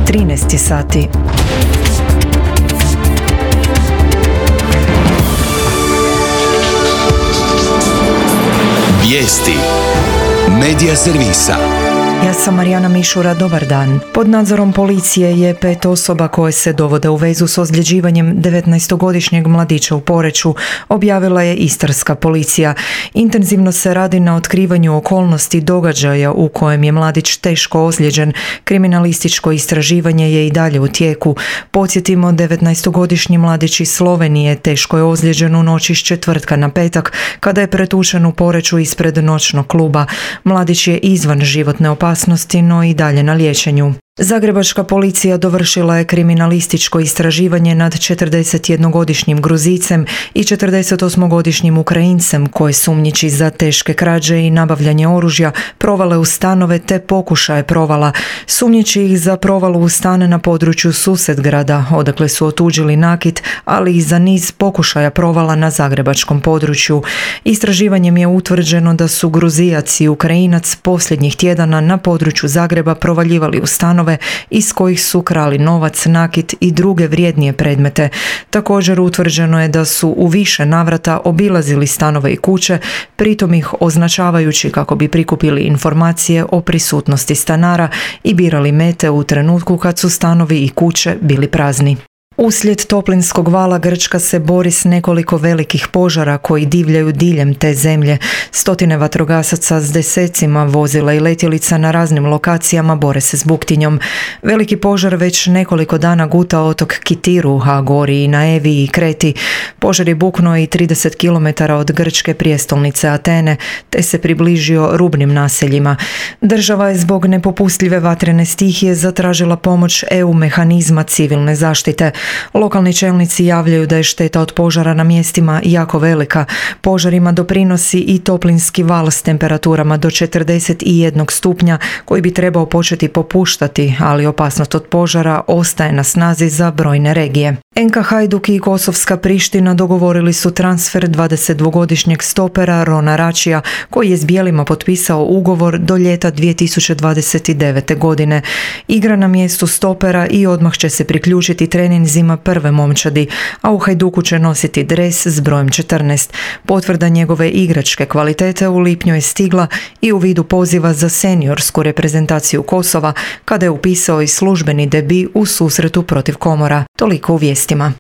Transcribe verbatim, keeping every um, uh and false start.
trinaest sati. Vijesti Medija servisa. Ja sam Marijana Mišura, dobar dan. Pod nadzorom policije je pet osoba koje se dovode u vezu s ozljeđivanjem devetnaestogodišnjeg mladića u Poreču, objavila je istarska policija. Intenzivno se radi na otkrivanju okolnosti događaja u kojem je mladić teško ozlijeđen. Kriminalističko istraživanje je i dalje u tijeku. Podsjetimo, devetnaestogodišnji mladić iz Slovenije teško je ozlijeđen u noći s četvrtka na petak kada je pretučen u Poreču ispred noćnog kluba. Mladić je izvan životne opasnosti, no i dalje na liječenju. Zagrebačka policija dovršila je kriminalističko istraživanje nad četrdesetjednogodišnjim Gruzicem i četrdesetosmogodišnjim Ukrajincem koje sumnjiči za teške krađe i nabavljanje oružja provale u stanove te pokušaje provala. Sumnjiči ih za provalu u stane na području Susetgrada, odakle su otuđili nakit, ali i za niz pokušaja provala na zagrebačkom području. Istraživanjem je utvrđeno da su Gruzijac i Ukrajinac posljednjih tjedana na području Zagreba provaljivali u stanove iz kojih su krali novac, nakit i druge vrijednije predmete. Također utvrđeno je da su u više navrata obilazili stanove i kuće, pritom ih označavajući kako bi prikupili informacije o prisutnosti stanara i birali mete u trenutku kad su stanovi i kuće bili prazni. Uslijed toplinskog vala Grčka se bori s nekoliko velikih požara koji divljaju diljem te zemlje. Stotine vatrogasaca s desecima vozila i letjelica na raznim lokacijama bore se s buktinjom. Veliki požar već nekoliko dana guta otok Kitiru, a gori i na Eviji i Kreti. Požar je buknuo i trideset kilometara od grčke prijestolnice Atene, te se približio rubnim naseljima. Država je zbog nepopustljive vatrene stihije zatražila pomoć E U mehanizma civilne zaštite. Lokalni čelnici javljaju da je šteta od požara na mjestima jako velika. Požarima doprinosi i toplinski val s temperaturama do četrdeset jednog stupnja koji bi trebao početi popuštati, ali opasnost od požara ostaje na snazi za brojne regije. N K Hajduk i Kosovska Priština dogovorili su transfer dvadesetdvogodišnjeg stopera Rona Račija koji je s bijelima potpisao ugovor do ljeta dvije tisuće dvadeset devete. godine. Igra na mjestu stopera i odmah će se priključiti treninzima prve momčadi, a u Hajduku će nositi dres s brojem četrnaest. Potvrda njegove igračke kvalitete u lipnju je stigla i u vidu poziva za seniorsku reprezentaciju Kosova kada je upisao i službeni debi u susretu protiv Komora. Toliko u vijestima.